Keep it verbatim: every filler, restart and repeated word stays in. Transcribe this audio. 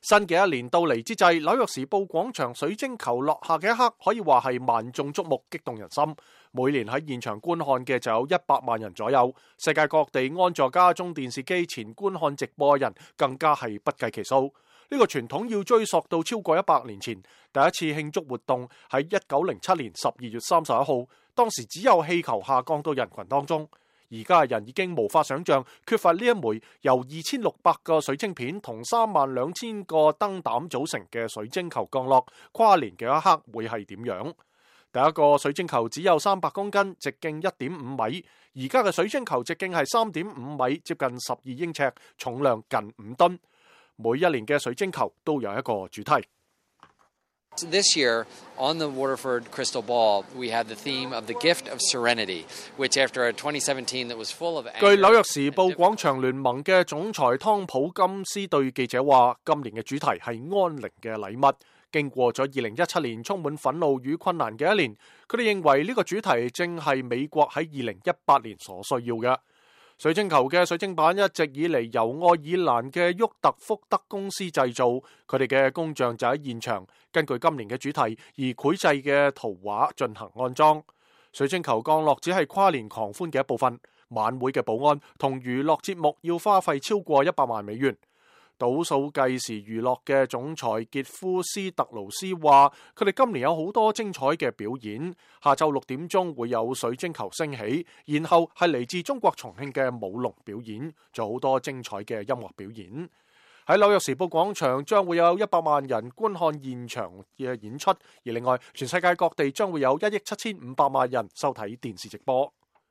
新嘅一年到嚟之際，紐約時報廣場水晶球落下嘅一刻，可以話係萬眾矚目，激動人心。每年喺現場觀看嘅就有一百萬人左右，世界各地安坐家中電視機前觀看直播嘅人更加係不計其數。呢個傳統要追溯到超過一百年前，第一次慶祝活動喺一九零七年十二月三十一號，當時只有氣球下降到人群當中。而家嘅人已經無法想象缺乏呢一枚由二千六百個水晶片同三萬兩千個燈膽組成嘅水晶球降落跨年嘅一刻會係點樣。第一個水晶球只有三百公斤，直徑一點五米，而家嘅水晶球直徑係三點五米，接近十二英尺，重量近五噸。每一年嘅水晶球都有一個主題。This year, on the Waterford Crystal Ball, we had the theme of the gift of serenity, which after a twenty seventeen that was full of anger. 據紐約時報廣場聯盟嘅總裁湯普金斯對記者話，今年嘅主題係安寧嘅禮物。經過咗二零一七年充滿憤怒與困難嘅一年，佢哋認為呢個主題正係美國喺二零一八年所需要嘅。水晶球嘅水晶板一直以嚟由愛爾蘭嘅沃特福德公司製造，佢哋嘅工匠就喺現場根據今年嘅主題而繪製嘅圖畫進行安裝。水晶球降落只係跨年狂歡嘅一部分，晚會嘅保安同娛樂節目要花費超過一百萬美元。倒數計時娛樂嘅總裁傑夫斯特勞斯話，佢哋今年有好多精彩嘅表演，下晝六點鐘會有水晶球升起，然後係嚟自中國重慶嘅舞龍表演，仲有好多精彩嘅音樂表演。喺紐約時報廣場將會有一百萬人觀看現場嘅演出，而另外全世界各地將會有一億七千五百萬人收睇電視直播。